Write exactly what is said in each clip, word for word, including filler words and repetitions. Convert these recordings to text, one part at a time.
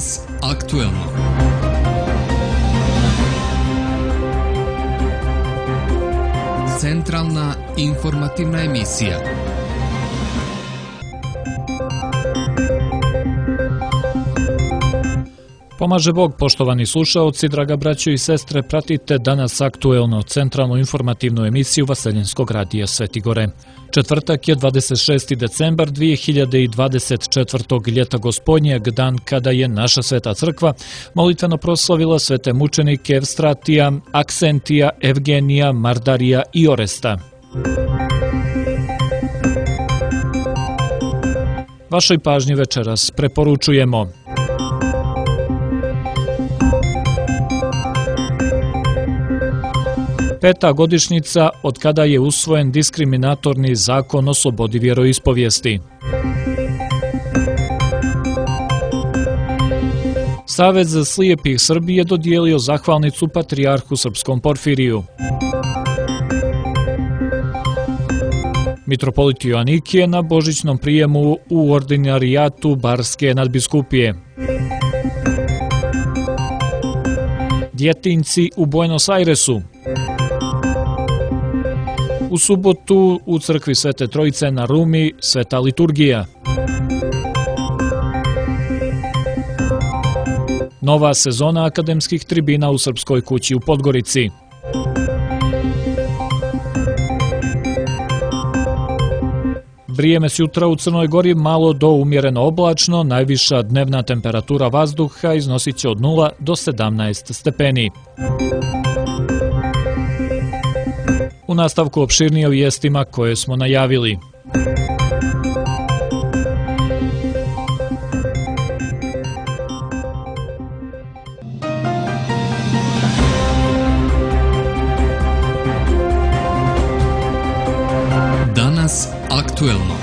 Danas aktuelno. Centralna informativna emisija. Pomaže Bog, poštovani slušaoci, draga braćo i sestre, pratite Danas aktuelno, centralnu informativnu emisiju Vaseljenskog radija Sveti Gore. Četvrtak je dvadeset šesti decembar dvije hiljade dvadeset četvrtog. ljeta gospodnjeg, dan kada je naša Sveta crkva molitveno proslavila svete mučenike Evstratija, Aksentija, Evgenija, Mardarija i Oresta. Vašoj pažnji večeras preporučujemo: Peta godišnjica od kada je usvojen diskriminatorni zakon o slobodi vjeroispovijesti. Savez slijepih Srbije dodijelio zahvalnicu patrijarhu srpskom Porfiriju. Mitropolit Joanikije na božićnom prijemu u ordinarijatu Barske nadbiskupije. Djetinjci u Buenos Airesu. U subotu u crkvi Svete Trojice na Rumi sveta liturgija. Nova sezona akademskih tribina u Srpskoj kući u Podgorici. Vrijeme sutra u Crnoj Gori malo do umjereno oblačno, najviša dnevna temperatura vazduha iznosit će od nula do sedamnaest stepeni. U nastavku opširnije o vijestima koje smo najavili. Danas aktuelno.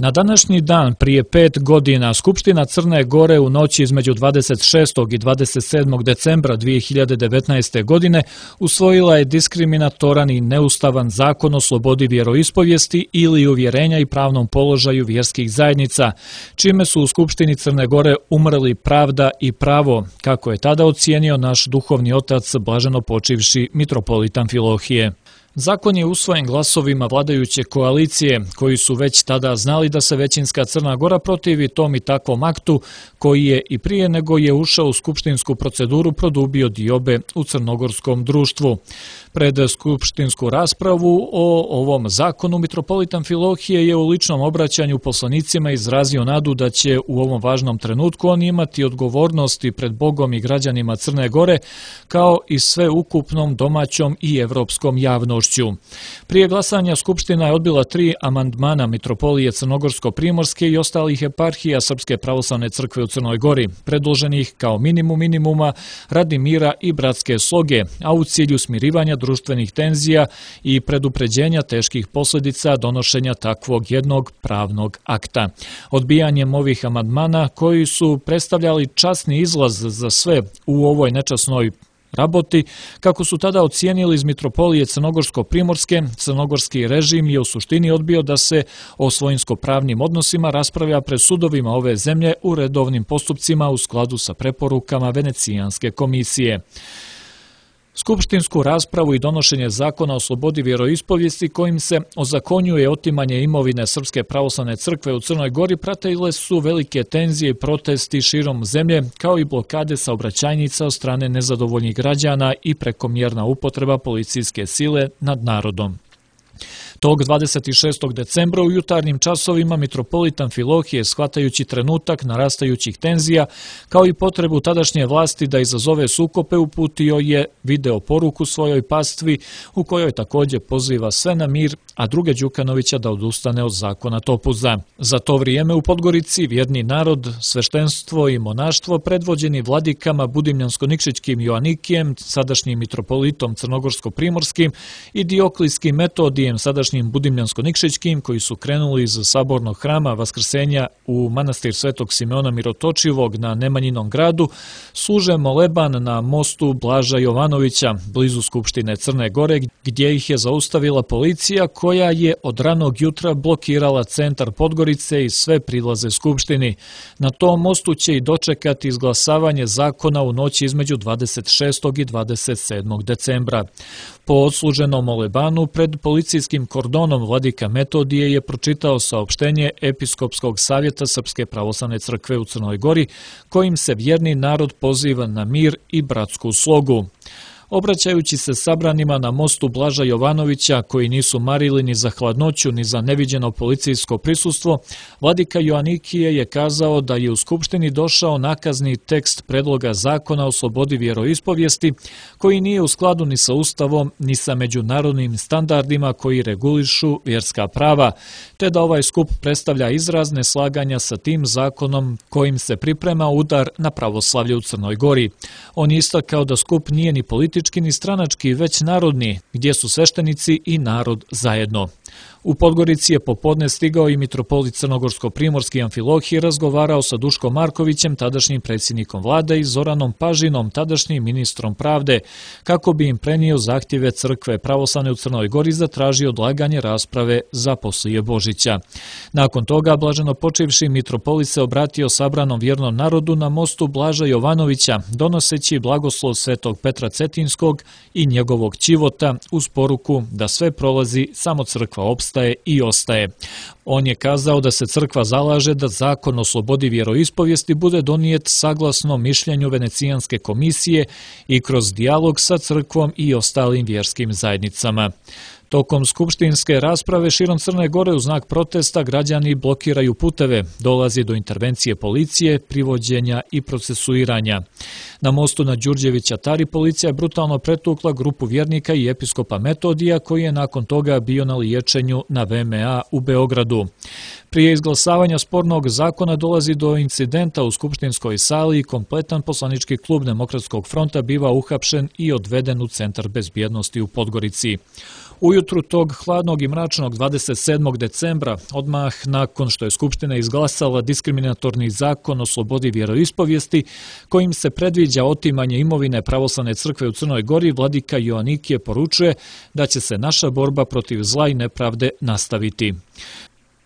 Na današnji dan prije pet godina Skupština Crne Gore u noći između dvadeset šestog i dvadeset sedmog decembra dvije hiljade devetnaeste. godine usvojila je diskriminatoran i neustavan zakon o slobodi vjeroispovijesti ili uvjerenja i pravnom položaju vjerskih zajednica, čime su u Skupštini Crne Gore umrli pravda i pravo, kako je tada ocijenio naš duhovni otac blaženo počivši mitropolit Amfilohije. Zakon je usvojen glasovima vladajuće koalicije, koji su već tada znali da se većinska Crna Gora protivi tom i takvom aktu, koji je i prije nego je ušao u skupštinsku proceduru produbio diobe u crnogorskom društvu. Pred skupštinsku raspravu o ovom zakonu mitropolit Amfilohije je u ličnom obraćanju poslanicima izrazio nadu da će u ovom važnom trenutku on imati odgovornosti pred Bogom i građanima Crne Gore, kao i sve ukupnom domaćom i evropskom javnošću. Prije glasanja Skupština je odbila tri amandmana Mitropolije Crnogorsko-Primorske i ostalih eparhija Srpske pravoslavne crkve u Crnoj Gori, predloženih kao minimum minimuma radi mira i bratske sloge, a u cilju smirivanja društvenih tenzija i predupređenja teških posljedica donošenja takvog jednog pravnog akta. Odbijanjem ovih amandmana, koji su predstavljali časni izlaz za sve u ovoj nečasnoj raboti, kako su tada ocijenili iz Mitropolije Crnogorsko-Primorske, crnogorski režim je u suštini odbio da se o svojinsko-pravnim odnosima raspravlja pred sudovima ove zemlje u redovnim postupcima u skladu sa preporukama Venecijanske komisije. Skupštinsku raspravu i donošenje zakona o slobodi vjeroispovijesti kojim se ozakonjuje otimanje imovine Srpske pravoslavne crkve u Crnoj Gori pratile su velike tenzije i protesti širom zemlje, kao i blokade saobraćajnica od strane nezadovoljnih građana i prekomjerna upotreba policijske sile nad narodom. Tog dvadeset šestog decembra u jutarnjim časovima mitropolit Amfilohije, shvatajući trenutak narastajućih tenzija, kao i potrebu tadašnje vlasti da izazove sukope, uputio je video poruku svojoj pastvi u kojoj također poziva sve na mir, a druge Đukanovića da odustane od zakona Topuza. Za to vrijeme u Podgorici vjerni narod, sveštenstvo i monaštvo predvođeni vladikama Budimljansko-Nikšićkim Joanikijem, sadašnjim mitropolitom Crnogorsko-Primorskim i Dioklijskim Metodijem, sadašnjim tadašnjim Budimljansko-Nikšićkim, koji su krenuli iz sabornog hrama Vaskrsenja u manastir Svetog Simeona Mirotočivog na Nemanjinom gradu, služe moleban na mostu Blaža Jovanovića, blizu Skupštine Crne Gore, gdje ih je zaustavila policija koja je od ranog jutra blokirala centar Podgorice i sve prilaze Skupštini. Na tom mostu će i dočekati izglasavanje zakona u noći između dvadeset šestog i dvadeset sedmog decembra. Po odsluženom molebanu pred policijskim kordonom vladika Metodije je pročitao saopštenje Episkopskog savjeta Srpske pravoslavne crkve u Crnoj Gori, kojim se vjerni narod poziva na mir i bratsku slogu. Obraćajući se sabranima na mostu Blaža Jovanovića, koji nisu marili ni za hladnoću ni za neviđeno policijsko prisustvo, vladika Joanikije je kazao da je u Skupštini došao nakazni tekst predloga zakona o slobodi vjeroispovijesti, koji nije u skladu ni sa Ustavom ni sa međunarodnim standardima koji regulišu vjerska prava, te da ovaj skup predstavlja izraz neslaganja sa tim zakonom kojim se priprema udar na pravoslavlje u Crnoj Gori. On je istakao da skup nije ni politički ni stranački, već narodni, gdje su sveštenici i narod zajedno. U Podgorici je popodne stigao i mitropolit Crnogorsko-Primorski Amfilohije i razgovarao sa Duškom Markovićem, tadašnjim predsjednikom vlade, i Zoranom Pažinom, tadašnjim ministrom pravde, kako bi im prenio zahtjeve crkve pravoslavne u Crnoj Gori, zatražio odlaganje rasprave za poslije Božića. Nakon toga, blaženo počivši mitropolit se obratio sabranom vjernom narodu na mostu Blaža Jovanovića, donoseći blagoslov svetog Petra Cetinskog i njegovog ćivota uz poruku da sve prolazi, samo crkva opstaje i ostaje. On je kazao da se crkva zalaže da zakon o slobodi vjeroispovijesti bude donijet saglasno mišljenju Venecijanske komisije i kroz dijalog sa crkvom i ostalim vjerskim zajednicama. Tokom skupštinske rasprave širom Crne Gore u znak protesta građani blokiraju puteve, dolazi do intervencije policije, privođenja i procesuiranja. Na mostu na Đurđevića Tari policija je brutalno pretukla grupu vjernika i episkopa Metodija, koji je nakon toga bio na liječenju na V M A u Beogradu. Prije izglasavanja spornog zakona dolazi do incidenta u skupštinskoj sali i kompletan poslanički klub Demokratskog fronta biva uhapšen i odveden u Centar bezbjednosti u Podgorici. Ujutru tog hladnog i mračnog dvadeset sedmog decembra, odmah nakon što je Skupština izglasala diskriminatorni zakon o slobodi vjeroispovijesti, kojim se predviđa otimanje imovine pravoslavne crkve u Crnoj Gori, vladika Joanikije poručuje da će se naša borba protiv zla i nepravde nastaviti.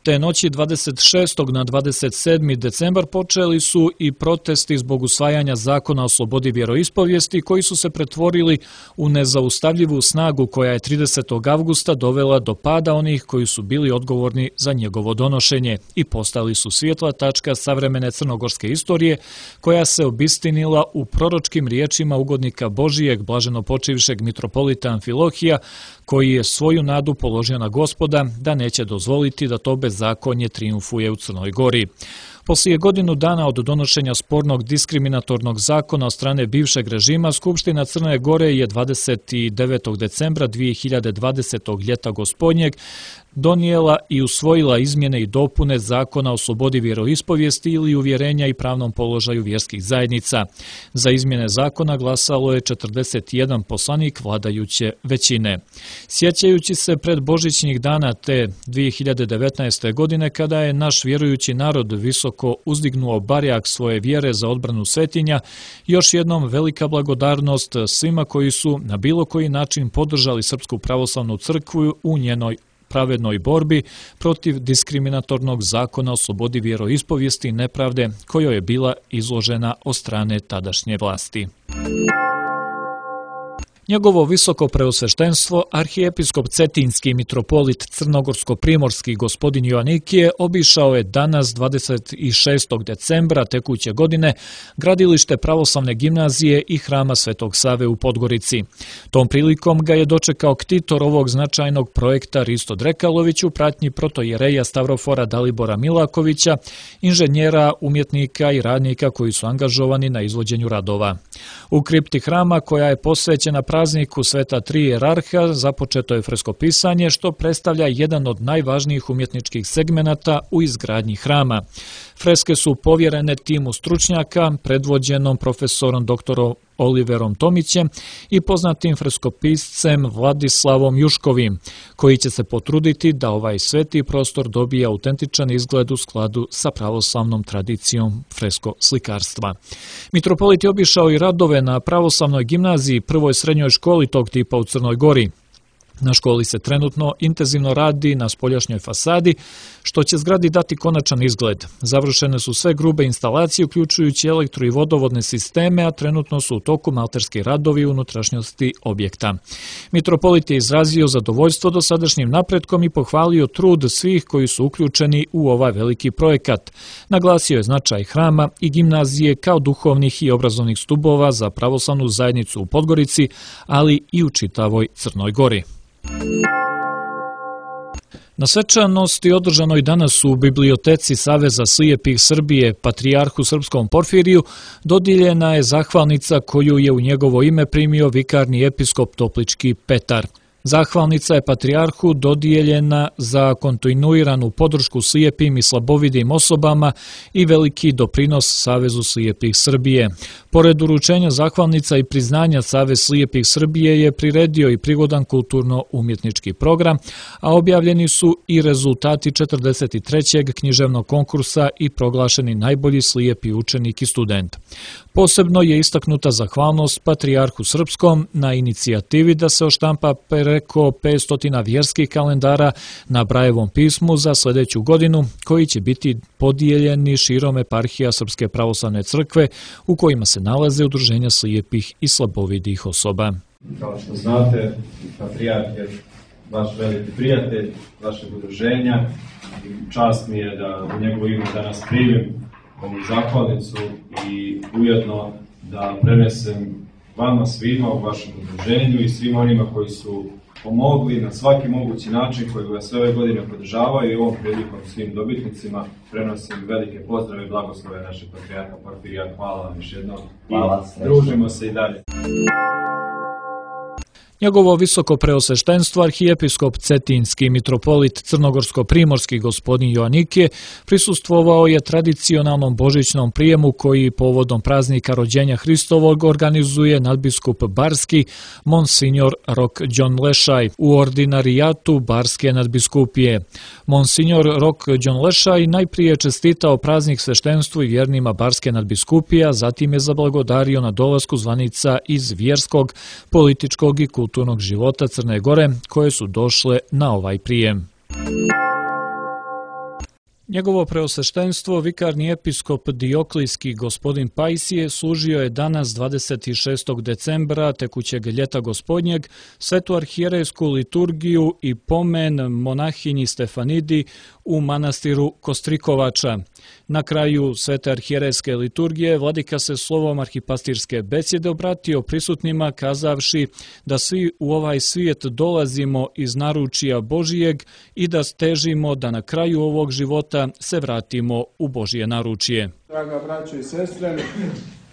Te noći dvadeset šestog na dvadeset sedmi decembar počeli su i protesti zbog usvajanja zakona o slobodi vjeroispovijesti, koji su se pretvorili u nezaustavljivu snagu koja je tridesetog avgusta dovela do pada onih koji su bili odgovorni za njegovo donošenje i postali su svjetla tačka savremene crnogorske istorije, koja se obistinila u proročkim riječima ugodnika Božijeg, blaženo počivšeg mitropolita Amfilohija, koji je svoju nadu položio na Gospoda da neće dozvoliti da to bezakonje trijumfuje u Crnoj Gori. Poslije godinu dana od donošenja spornog diskriminatornog zakona od strane bivšeg režima, Skupština Crne Gore je dvadeset devetog decembra dvije hiljade dvadesetog ljeta gospodnjeg donijela i usvojila izmjene i dopune zakona o slobodi vjeroispovijesti ili uvjerenja i pravnom položaju vjerskih zajednica. Za izmjene zakona glasalo je četrdeset jedan poslanik vladajuće većine. Sjećajući se pred božićnih dana te dvije hiljade devetnaeste. godine, kada je naš vjerujući narod visoko uzdignuo barjak svoje vjere za odbranu svetinja, još jednom velika blagodarnost svima koji su na bilo koji način podržali Srpsku pravoslavnu crkvu u njenoj pravednoj borbi protiv diskriminatornog zakona o slobodi vjeroispovijesti i nepravde kojoj je bila izložena od strane tadašnje vlasti. Njegovo visoko preosveštenstvo, arhijepiskop Cetinski mitropolit Crnogorsko-Primorski gospodin Joanikije obišao je danas dvadeset šestog decembra tekuće godine gradilište pravoslavne gimnazije i hrama Svetog Save u Podgorici. Tom prilikom ga je dočekao ktitor ovog značajnog projekta Risto Drekalović u pratnji protojereja Stavrofora Dalibora Milakovića, inženjera, umjetnika i radnika koji su angažovani na izvođenju radova. U kripti hrama, koja je posvećena prazniku Sveta Tri jerarha, započeto je freskopisanje, što predstavlja jedan od najvažnijih umjetničkih segmenata u izgradnji hrama. Freske su povjerene timu stručnjaka, predvođenom profesorom doktorom Oliverom Tomićem i poznatim freskopiscem Vladislavom Juškovim, koji će se potruditi da ovaj sveti prostor dobije autentičan izgled u skladu sa pravoslavnom tradicijom fresko slikarstva. Mitropolit je obišao i radove na pravoslavnoj gimnaziji, prvoj srednjoj školi tog tipa u Crnoj Gori. Na školi se trenutno intenzivno radi na spoljašnjoj fasadi, što će zgradi dati konačan izgled. Završene su sve grube instalacije, uključujući elektro- i vodovodne sisteme, a trenutno su u toku malterski radovi u unutrašnjosti objekta. Mitropolit je izrazio zadovoljstvo dosadašnjim napretkom i pohvalio trud svih koji su uključeni u ovaj veliki projekat. Naglasio je značaj hrama i gimnazije kao duhovnih i obrazovnih stubova za pravoslavnu zajednicu u Podgorici, ali i u čitavoj Crnoj Gori. Na svečanosti održanoj danas u Biblioteci Saveza slijepih Srbije Patrijarhu Srpskom Porfiriju dodijeljena je zahvalnica koju je u njegovo ime primio vikarni episkop Toplički Petar. Zahvalnica je patrijarhu dodijeljena za kontinuiranu podršku slijepim i slabovidim osobama i veliki doprinos Savezu slijepih Srbije. Pored uručenja zahvalnica i priznanja Savez slijepih Srbije je priredio i prigodan kulturno-umjetnički program, a objavljeni su i rezultati četrdeset trećeg književnog konkursa i proglašeni najbolji slijepi učenik i student. Posebno je istaknuta zahvalnost Patrijarhu Srpskom na inicijativi da se oštampa preko petsto vjerskih kalendara na Brajevom pismu za sljedeću godinu, koji će biti podijeljeni širom eparhija Srpske pravoslavne crkve, u kojima se nalaze udruženja slijepih i slabovidih osoba. Kao što znate, Patrijarh je vaš veliki prijatelj, vašeg udruženja. Čast mi je da u njegovo ime danas primim ovu zahvalnicu i ujedno da prenesem vama svima u vašem udruženju i svima onima koji su pomogli na svaki mogući način, koji vas sve ove godine podržavaju, i ovom prilikom svim dobitnicima prenosim velike pozdrave i blagoslove našeg Patrijarha Porfirija. Hvala vam još jednom i družimo se i dalje. Njegovo visoko preosveštenstvo arhijepiskop Cetinski mitropolit crnogorsko-primorski gospodin Joanikije prisustvovao je tradicionalnom božićnom prijemu koji povodom praznika rođenja Hristovog organizuje nadbiskup Barski Monsignor Rok Đonlešaj u ordinarijatu Barske nadbiskupije. Monsignor Rok Đonlešaj najprije čestitao praznik sveštenstvu i vjernima Barske nadbiskupije, a zatim je zablagodario na dolasku zvanica iz vjerskog, političkog i kulturnog kulturnog života Crne Gore, koje su došle na ovaj prijem. Njegovo preosveštenstvo, vikarni episkop Dioklijski gospodin Pajsije, služio je danas dvadeset šestog decembra tekućeg ljeta gospodnjeg svetu arhijerejsku liturgiju i pomen monahinji Stefanidi u manastiru Kostrikovača. Na kraju svete arhijerejske liturgije vladika se slovom arhipastirske besjede obratio prisutnima kazavši da svi u ovaj svijet dolazimo iz naručija Božijeg i da težimo da na kraju ovog života se vratimo u Božije naručje. Draga braćo i sestre,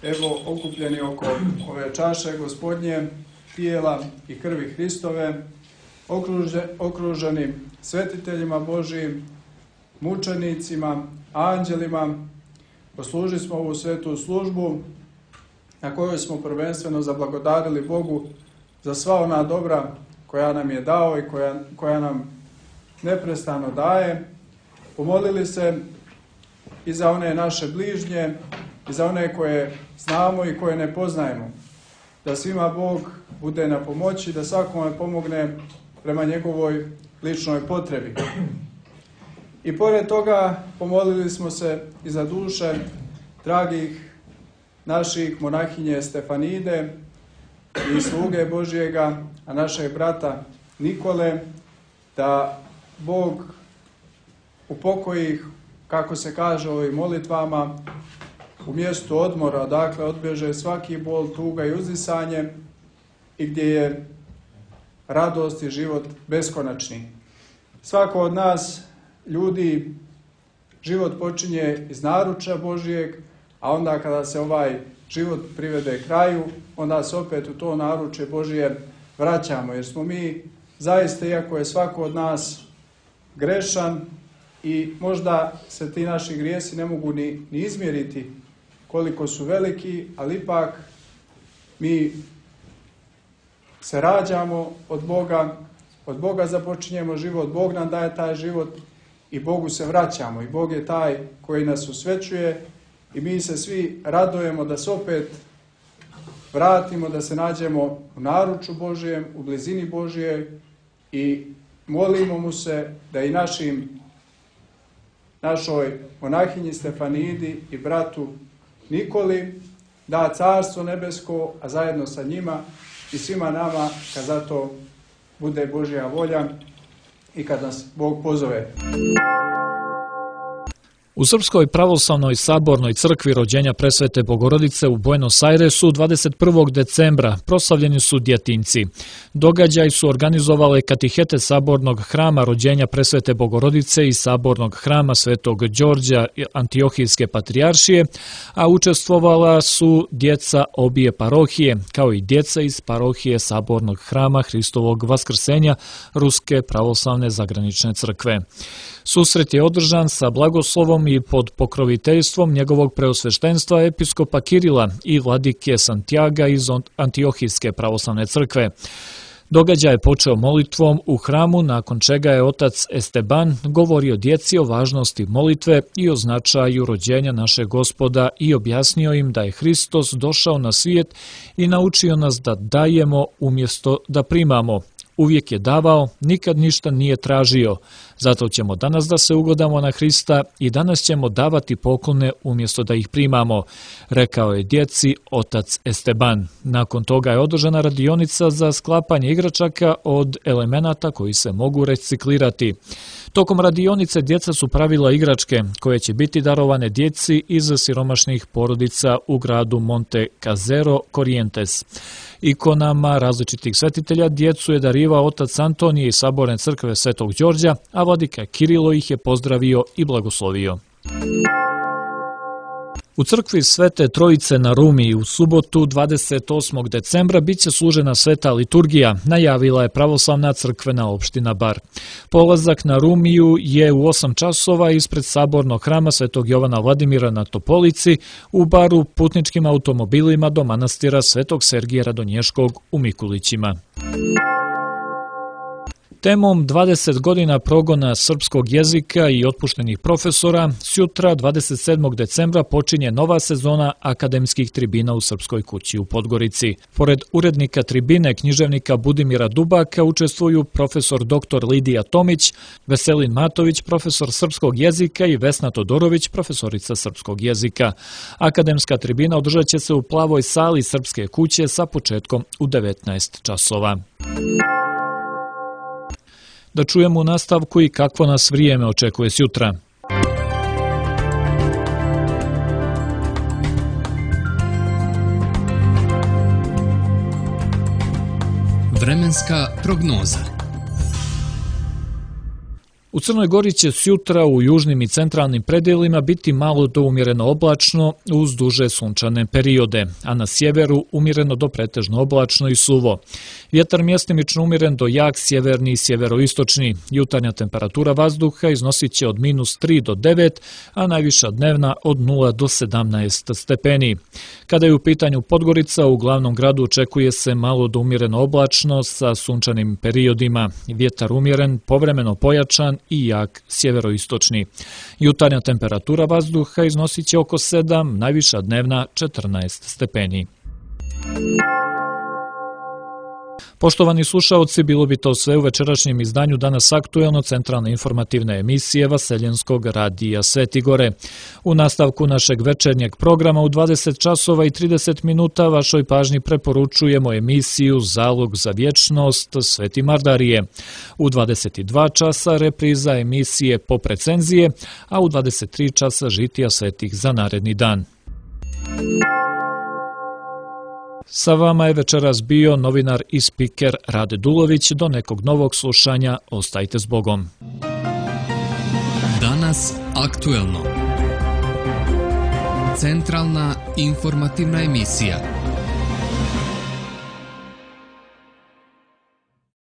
evo okupljeni oko ove čaše gospodnje, tijela i krvi Hristove, okruže, okruženi svetiteljima Božijim, mučenicima, anđelima, poslužili smo ovu svetu službu na kojoj smo prvenstveno zablagodarili Bogu za sva ona dobra koja nam je dao i koja, koja nam neprestano daje. Pomolili se i za one naše bližnje, i za one koje znamo i koje ne poznajemo. Da svima Bog bude na pomoći, da svakome pomogne prema njegovoj ličnoj potrebi. I pored toga pomolili smo se i za duše dragih naših monahinje Stefanide i sluge Božijega, a našeg brata Nikole, da Bog upokoji ih, kako se kaže u ovim molitvama, u mjestu odmora, dakle odbježe svaki bol, tuga i uzdisanje, i gdje je radost i život beskonačni. Svako od nas, ljudi, život počinje iz naručja Božijeg, a onda kada se ovaj život privede kraju, onda se opet u to naručje Božije vraćamo, jer smo mi zaista, iako je svako od nas grešan i možda se ti naši grijesi ne mogu ni, ni izmjeriti koliko su veliki, ali ipak mi se rađamo od Boga, od Boga započinjemo život, Bog nam daje taj život i Bogu se vraćamo. I Bog je taj koji nas usvećuje i mi se svi radujemo da se opet vratimo, da se nađemo u naručju Božijem, u blizini Božije i molimo mu se da i našim, našoj monahinji Stefanidi i bratu Nikoli da carstvo nebesko, a zajedno sa njima i svima nama kad zato bude Božja volja i kad nas Bog pozove. U Srpskoj pravoslavnoj sabornoj crkvi rođenja Presvete Bogorodice u Buenos Airesu dvadeset prvog decembra proslavljeni su djetinjci. Događaj su organizovale katihete sabornog hrama rođenja Presvete Bogorodice i sabornog hrama Svetog Đorđa Antiohijske patrijaršije, a učestvovala su djeca obje parohije, kao i djeca iz parohije sabornog hrama Hristovog Vaskrsenja Ruske pravoslavne zagranične crkve. Susret je održan sa blagoslovom i pod pokroviteljstvom njegovog preosveštenstva episkopa Kirila i vladike Santiaga iz Antiohijske pravoslavne crkve. Događaj je počeo molitvom u hramu, nakon čega je otac Esteban govorio djeci o važnosti molitve i o značaju rođenja našeg Gospoda i objasnio im da je Hristos došao na svijet i naučio nas da dajemo umjesto da primamo. Uvijek je davao, nikad ništa nije tražio. Zato ćemo danas da se ugodamo na Hrista i danas ćemo davati poklone umjesto da ih primamo, rekao je djeci otac Esteban. Nakon toga je održana radionica za sklapanje igračaka od elemenata koji se mogu reciklirati. Tokom radionice djeca su pravila igračke koje će biti darovane djeci iz siromašnih porodica u gradu Monte Casero, Corrientes. Ikonama različitih svetitelja djecu je darivao otac Antonije iz saborne crkve Svetog Đorđa, a vladika Kirilo ih je pozdravio i blagoslovio. U crkvi Svete Trojice na Rumi u subotu dvadeset osmog decembra bit će služena sveta liturgija, najavila je pravoslavna crkvena opština Bar. Polazak na Rumiju je u osam časova ispred sabornog hrama Svetog Jovana Vladimira na Topolici, u Baru putničkim automobilima do manastira Svetog Sergija Radonješkog u Mikulićima. Temom dvadeset godina progona srpskog jezika i otpuštenih profesora, sutra dvadeset sedmog decembra počinje nova sezona akademskih tribina u Srpskoj kući u Podgorici. Pored urednika tribine književnika Budimira Dubaka učestvuju profesor doktor Lidija Tomić, Veselin Matović, profesor srpskog jezika i Vesna Todorović, profesorica srpskog jezika. Akademska tribina održat će se u plavoj sali Srpske kuće sa početkom u devetnaest časova. Da čujemo u nastavku i kakvo nas vrijeme očekuje sutra. Vremenska prognoza. U Crnoj Gori će sutra u južnim i centralnim predjelima biti malo do umjereno oblačno uz duže sunčane periode, a na sjeveru umjereno do pretežno oblačno i suvo. Vjetar mjestimično umjeren do jak sjeverni i sjeveroistočni. Jutarnja temperatura vazduha iznosit će od minus tri do devet, a najviša dnevna od nula do sedamnaest stepeni. Kada je u pitanju Podgorica, u glavnom gradu očekuje se malo do umjereno oblačno sa sunčanim periodima. Vjetar umjeren, povremeno pojačan i jak sjeveroistočni. Jutarnja temperatura vazduha iznosit će oko sedam, najviša dnevna četrnaest stepeni. Poštovani slušaoci, bilo bi to sve u večerašnjem izdanju Danas aktuelno centralne informativne emisije Vaseljenskog radija Svetigore. U nastavku našeg večernjeg programa u dvadeset časova i trideset minuta vašoj pažnji preporučujemo emisiju Zalog za vječnost Sveti Mardarije. U dvadeset dva časa repriza emisije Pop recenzije, a u dvadeset tri časa žitija svetih za naredni dan. Sa vama je večeras bio novinar i spiker Rade Dulović. Do nekog novog slušanja, ostajte s Bogom. Danas aktuelno. Centralna informativna emisija.